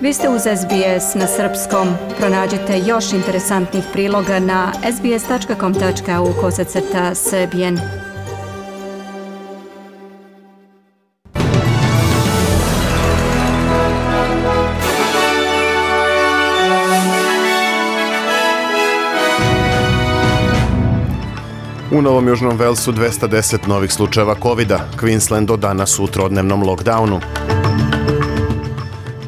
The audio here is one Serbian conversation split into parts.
Vi ste uz SBS na srpskom. Pronađite još interesantnih priloga na sbs.com.au/srbijen. U Novom Južnom Velsu 210 novih slučajeva COVID-a. Queensland do danas u trodnevnom lockdownu.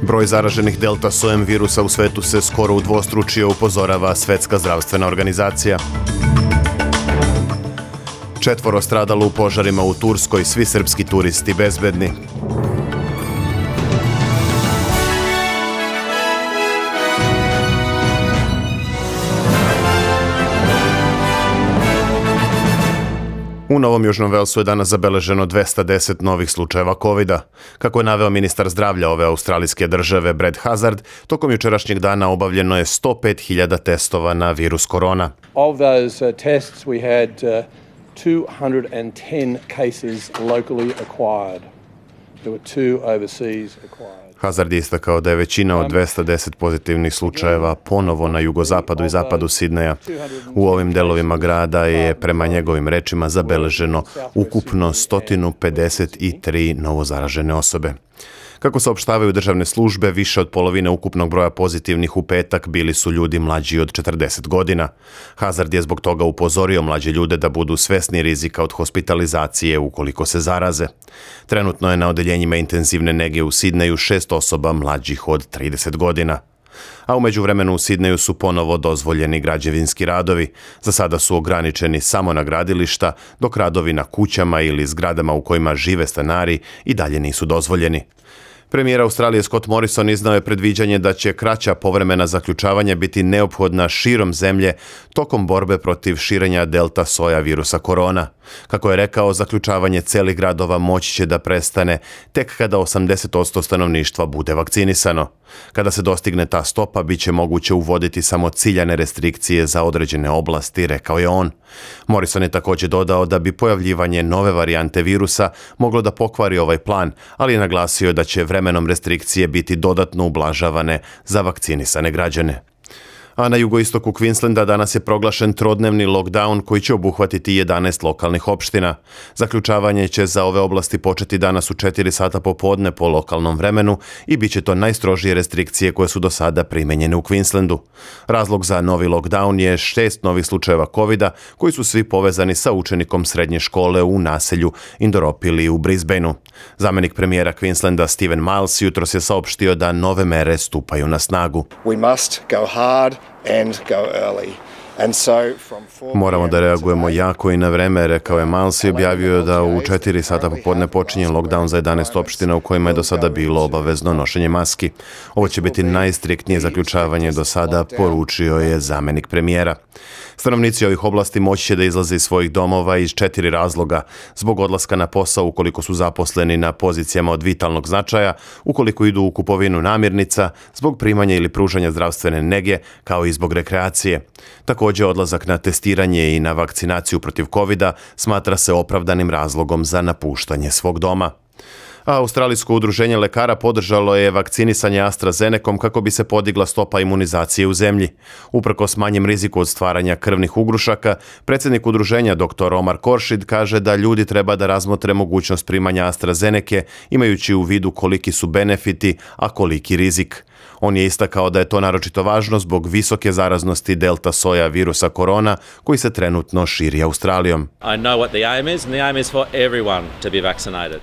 Broj zaraženih delta sojem virusa u svetu se skoro udvostručio, upozorava Svetska zdravstvena organizacija. 4 stradalo u požarima u Turskoj, svi srpski turisti bezbedni. U Novom Južnom Velsu je danas zabeleženo 210 novih slučajeva COVID-a. Kako je naveo ministar zdravlja ove australijske države Brad Hazzard, tokom jučerašnjeg dana obavljeno je 105.000 testova na virus korona. Of those tests we had 210 cases locally acquired. There were 2 overseas acquired. Hazzard je istakao da je većina od 210 pozitivnih slučajeva ponovo na jugozapadu i zapadu Sidneja. U ovim delovima grada je, prema njegovim rečima, zabeleženo ukupno 153 novozaražene osobe. Kako saopštavaju državne službe, više od polovine ukupnog broja pozitivnih u petak bili su ljudi mlađi od 40 godina. Hazzard je zbog toga upozorio mlađe ljude da budu svesni rizika od hospitalizacije ukoliko se zaraze. Trenutno je na odeljenjima intenzivne nege u Sidneju 6 osoba mlađih od 30 godina. A u međuvremenu u Sidneju su ponovo dozvoljeni građevinski radovi. Za sada su ograničeni samo na gradilišta, dok radovi na kućama ili zgradama u kojima žive stanari i dalje nisu dozvoljeni. Premijer Australije Scott Morrison iznao je predviđanje da će kraća povremena zaključavanja biti neophodna širom zemlje tokom borbe protiv širenja delta soja virusa korona. Kako je rekao, zaključavanje celih gradova moći će da prestane tek kada 80% stanovništva bude vakcinisano. Kada se dostigne ta stopa, bit će moguće uvoditi samo ciljane restrikcije za određene oblasti, rekao je on. Morrison je također dodao da bi pojavljivanje nove varijante virusa moglo da pokvari ovaj plan, ali je naglasio da će vremenom restrikcije biti dodatno ublažavane za vakcinisane građane. A na jugoistoku Queenslanda danas je proglašen trodnevni lockdown koji će obuhvatiti 11 lokalnih opština. Zaključavanje će za ove oblasti početi danas u 4 sata popodne po lokalnom vremenu i bit će to najstrožije restrikcije koje su do sada primenjene u Queenslandu. Razlog za novi lockdown je 6 novih slučajeva COVID-a koji su svi povezani sa učenikom srednje škole u naselju Indoropili u Brisbaneu. Zamenik premijera Queenslanda Stephen Miles jutros je saopštio da nove mere stupaju na snagu. We must go hard and go early. Moramo da reagujemo jako i na vreme, rekao je Miles i objavio da u 4 sata popodne počinje lockdown za 11 opština u kojima je do sada bilo obavezno nošenje maski. Ovo će biti najstriktnije zaključavanje do sada, poručio je zamenik premijera. Stanovnici ovih oblasti moći će da izlaze iz svojih domova iz 4 razloga: zbog odlaska na posao ukoliko su zaposleni na pozicijama od vitalnog značaja, ukoliko idu u kupovinu namirnica, zbog primanja ili pružanja zdravstvene nege, kao i zbog rekreacije. Također, odlazak na testiranje i na vakcinaciju protiv COVID-a smatra se opravdanim razlogom za napuštanje svog doma. A Australijsko udruženje lekara podržalo je vakcinisanje AstraZenecom kako bi se podigla stopa imunizacije u zemlji. Uprkos manjem riziku od stvaranja krvnih ugrušaka, predsjednik udruženja dr. Omar Khorshid kaže da ljudi treba da razmotre mogućnost primanja AstraZenece, imajući u vidu koliki su benefiti, a koliki rizik. On je istakao da je to naročito važno zbog visoke zaraznosti delta soja virusa korona koji se trenutno širi Australijom. I know what the aim is, and the aim is for everyone to be vaccinated.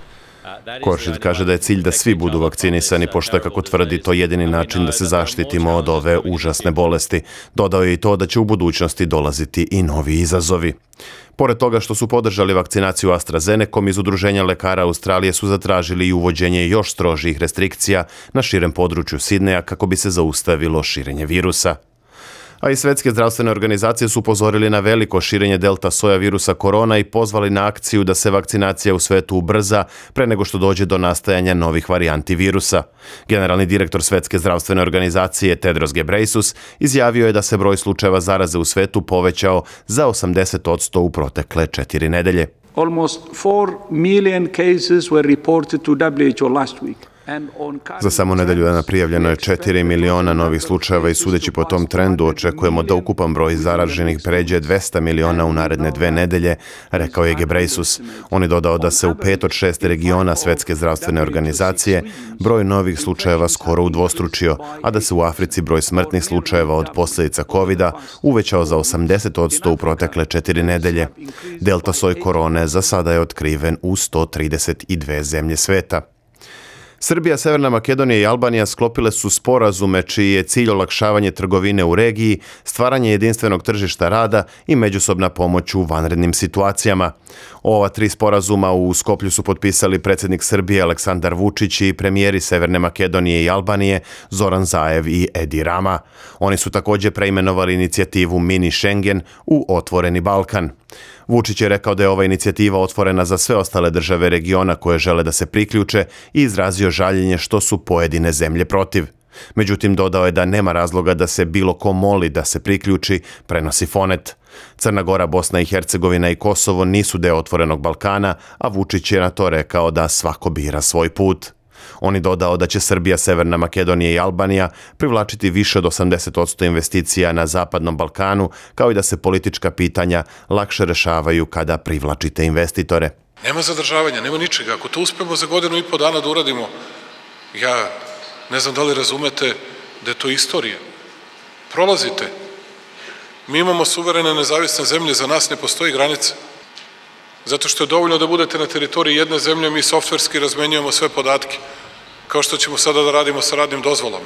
Khorshid kaže da je cilj da svi budu vakcinisani, pošto je, kako tvrdi, to jedini način da se zaštitimo od ove užasne bolesti. Dodao je i to da će u budućnosti dolaziti i novi izazovi. Pored toga što su podržali vakcinaciju AstraZenecom, iz Udruženja lekara Australije su zatražili i uvođenje još strožijih restrikcija na širem području Sidneja kako bi se zaustavilo širenje virusa. A i Svetske zdravstvene organizacije su upozorili na veliko širenje delta soja virusa korona i pozvali na akciju da se vakcinacija u svetu ubrza pre nego što dođe do nastajanja novih varijanti virusa. Generalni direktor Svetske zdravstvene organizacije Tedros Ghebreyesus izjavio je da se broj slučajeva zaraze u svetu povećao za 80% u protekle 4 nedelje. Almost 4 million cases were reported to WHO last week. Za samo nedelju dana prijavljeno je 4 miliona novih slučajeva i sudeći po tom trendu očekujemo da ukupan broj zaraženih pređe 200 miliona u naredne 2 nedelje, rekao je Ghebreyesus. On je dodao da se u 5 od 6 regiona Svetske zdravstvene organizacije broj novih slučajeva skoro udvostručio, a da se u Africi broj smrtnih slučajeva od posljedica COVID-a uvećao za 80% u protekle 4 nedelje. Delta soj korone za sada je otkriven u 132 zemlje sveta. Srbija, Severna Makedonija i Albanija sklopile su sporazume čiji je cilj olakšavanje trgovine u regiji, stvaranje jedinstvenog tržišta rada i međusobna pomoć u vanrednim situacijama. Ova 3 sporazuma u Skoplju su potpisali predsjednik Srbije Aleksandar Vučić i premijeri Severne Makedonije i Albanije Zoran Zaev i Edi Rama. Oni su također preimenovali inicijativu Mini Schengen u Otvoreni Balkan. Vučić je rekao da je ova inicijativa otvorena za sve ostale države regiona koje žele da se priključe i izrazio žaljenje što su pojedine zemlje protiv. Međutim, dodao je da nema razloga da se bilo ko moli da se priključi, prenosi Fonet. Crna Gora, Bosna i Hercegovina i Kosovo nisu deo Otvorenog Balkana, a Vučić je na to rekao da svako bira svoj put. On je dodao da će Srbija, Severna Makedonija i Albanija privlačiti više od 80% investicija na Zapadnom Balkanu, kao i da se politička pitanja lakše rešavaju kada privlačite investitore. Nema zadržavanja, nema ničega. Ako to uspemo za 1,5 dana da uradimo, ja ne znam da li razumete da je to istorija. Prolazite. Mi imamo suverene nezavisne zemlje, za nas ne postoji granica. Zato što je dovoljno da budete na teritoriji jedne zemlje, mi softverski razmenjujemo sve podatke, kao što ćemo sada da radimo sa radnim dozvolama.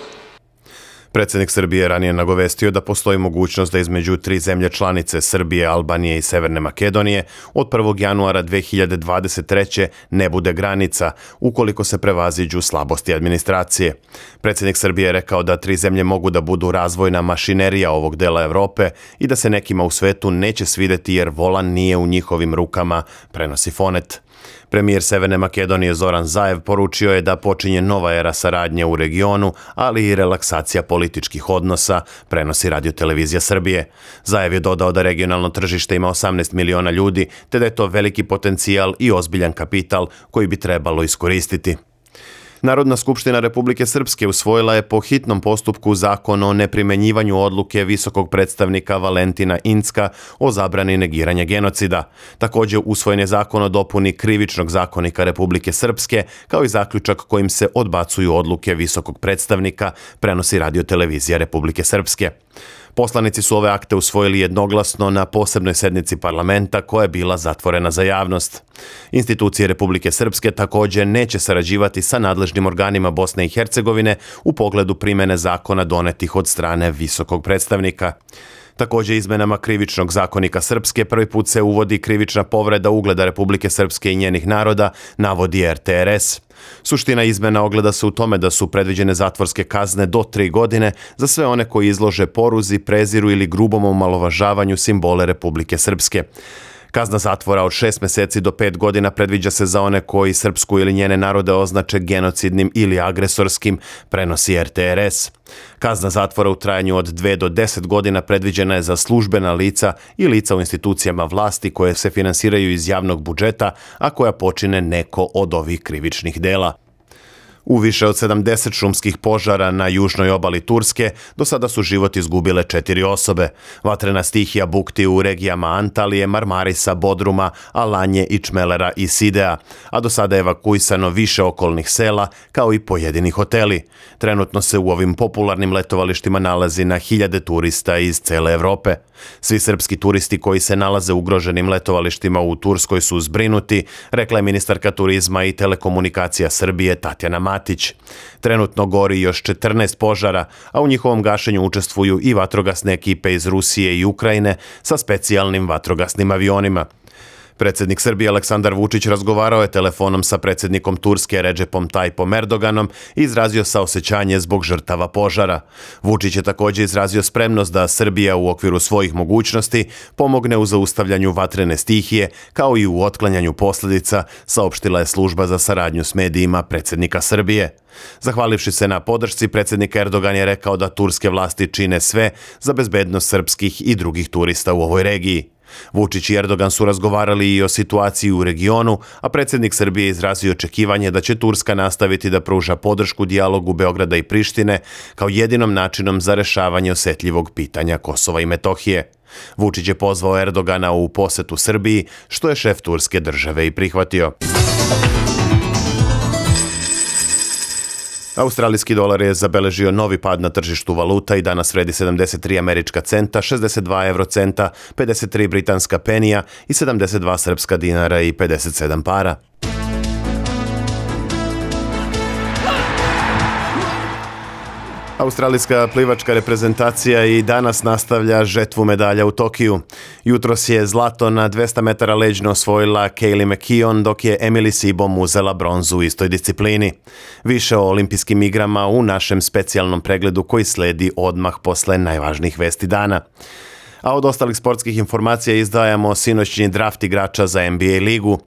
Predsjednik Srbije ranije nagovestio da postoji mogućnost da između 3 zemlje članice Srbije, Albanije i Severne Makedonije od 1. januara 2023. ne bude granica ukoliko se prevaziđu slabosti administracije. Predsjednik Srbije je rekao da 3 zemlje mogu da budu razvojna mašinerija ovog dela Evrope i da se nekima u svetu neće svideti jer volan nije u njihovim rukama, prenosi Fonet. Premijer Severne Makedonije Zoran Zaev poručio je da počinje nova era saradnje u regionu, ali i relaksacija političkih odnosa, prenosi Radio-televizija Srbije. Zaev je dodao da regionalno tržište ima 18 miliona ljudi, te da je to veliki potencijal i ozbiljan kapital koji bi trebalo iskoristiti. Narodna skupština Republike Srpske usvojila je po hitnom postupku zakon o neprimenjivanju odluke visokog predstavnika Valentina Incka o zabrani negiranja genocida. Također usvojen je zakon o dopuni Krivičnog zakonika Republike Srpske, kao i zaključak kojim se odbacuju odluke visokog predstavnika, prenosi Radio-televizija Republike Srpske. Poslanici su ove akte usvojili jednoglasno na posebnoj sednici parlamenta koja je bila zatvorena za javnost. Institucije Republike Srpske također neće sarađivati sa nadležnim organima Bosne i Hercegovine u pogledu primene zakona donetih od strane visokog predstavnika. Također izmenama Krivičnog zakonika Srpske prvi put se uvodi krivična povreda ugleda Republike Srpske i njenih naroda, navodi RTRS. Suština izmena ogleda se u tome da su predviđene zatvorske kazne do 3 godine za sve one koji izlože poruzi, preziru ili grubom omalovažavanju simbole Republike Srpske. Kazna zatvora od 6 mjeseci do 5 godina predviđa se za one koji Srpsku ili njene narode označe genocidnim ili agresorskim, prenosi RTRS. Kazna zatvora u trajanju od 2 do 10 godina predviđena je za službena lica i lica u institucijama vlasti koje se finansiraju iz javnog budžeta, a koja počine neko od ovih krivičnih dela. U više od 70 šumskih požara na južnoj obali Turske do sada su život izgubile 4 osobe. Vatrena stihija bukti u regijama Antalije, Marmarisa, Bodruma, Alanje i Čmelera i Sidea, a do sada je evakuisano više okolnih sela kao i pojedini hoteli. Trenutno se u ovim popularnim letovalištima nalazi na hiljade turista iz cele Evrope. Svi srpski turisti koji se nalaze u ugroženim letovalištima u Turskoj su zbrinuti, rekla je ministarka turizma i telekomunikacija Srbije Tatjana Matić. Trenutno gori još 14 požara, a u njihovom gašenju učestvuju i vatrogasne ekipe iz Rusije i Ukrajine sa specijalnim vatrogasnim avionima. Predsjednik Srbije Aleksandar Vučić razgovarao je telefonom sa predsjednikom Turske Recepom Tayyipom Erdoganom i izrazio saosećanje zbog žrtava požara. Vučić je također izrazio spremnost da Srbija u okviru svojih mogućnosti pomogne u zaustavljanju vatrene stihije kao i u otklanjanju posljedica, saopštila je služba za saradnju s medijima predsjednika Srbije. Zahvalivši se na podršci, predsjednik Erdogan je rekao da turske vlasti čine sve za bezbednost srpskih i drugih turista u ovoj regiji. Vučić i Erdogan su razgovarali i o situaciji u regionu, a predsjednik Srbije izrazio očekivanje da će Turska nastaviti da pruža podršku dijalogu Beograda i Prištine kao jedinom načinom za rešavanje osetljivog pitanja Kosova i Metohije. Vučić je pozvao Erdogana u posetu Srbiji, što je šef turske države i prihvatio. Australijski dolar je zabeležio novi pad na tržištu valuta i danas vredi 73 američka centa, 62 eurocenta, 53 britanska penija i 72 srpska dinara i 57 para. Australijska plivačka reprezentacija i danas nastavlja žetvu medalja u Tokiju. Jutros je zlato na 200 metara leđno osvojila Kaylee McKeown, dok je Emily Sibom uzela bronzu u istoj disciplini. Više o olimpijskim igrama u našem specijalnom pregledu koji sledi odmah posle najvažnijih vesti dana. A od ostalih sportskih informacija izdajamo sinoćni draft igrača za NBA ligu.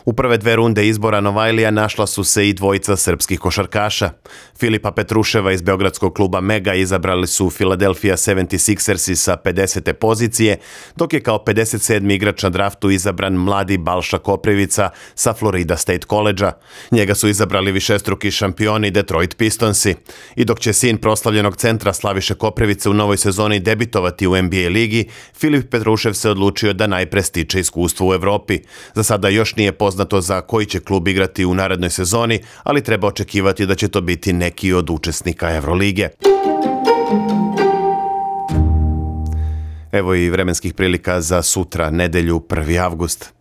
U prve 2 runde izbora Novajlija našla su se i dvojica srpskih košarkaša. Filipa Petruševa iz beogradskog kluba Mega izabrali su Philadelphia 76ersi sa 50. pozicije, dok je kao 57. igrač na draftu izabran mladi Balša Koprivica sa Florida State College-a. Njega su izabrali višestruki šampioni Detroit Pistonsi. I dok će sin proslavljenog centra Slaviše Koprivice u novoj sezoni debitovati u NBA ligi, Filip Petrušev se odlučio da najpre stiče iskustvo u Evropi. Za sada još nije poznato za koji će klub igrati u narednoj sezoni, ali treba očekivati da će to biti neki od učesnika Evrolige. Evo i vremenskih prilika za sutra, nedelju, 1. avgust.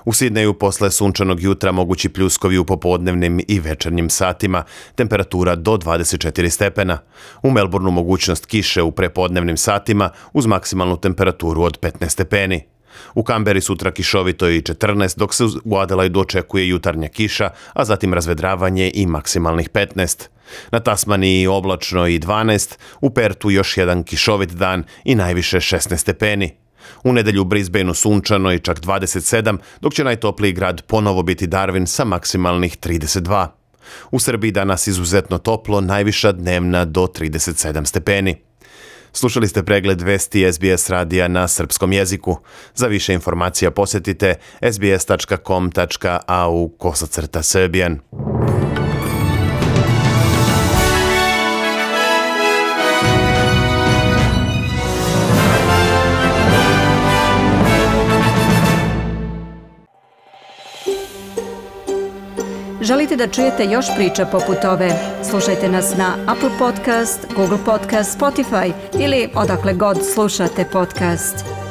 U Sidneju posle sunčanog jutra mogući pljuskovi u popodnevnim i večernjim satima, temperatura do 24 stepena. U Melbourneu mogućnost kiše u prepodnevnim satima uz maksimalnu temperaturu od 15 stepeni. U Kamberi sutra kišovito i 14, dok se u Adelaidu očekuje jutarnja kiša, a zatim razvedravanje i maksimalnih 15. Na Tasmaniji oblačno i 12, u Pertu još jedan kišovit dan i najviše 16 stepeni. U nedelju u Brisbaneu sunčano i čak 27, dok će najtopliji grad ponovo biti Darwin sa maksimalnih 32. U Srbiji danas izuzetno toplo, najviša dnevna do 37 stepeni. Slušali ste pregled vesti SBS radija na srpskom jeziku. Za više informacija posjetite sbs.com.au/Serbian. Želite da čujete još priča poput ove? Slušajte nas na Apple Podcast, Google Podcast, Spotify ili odakle god slušate podcast.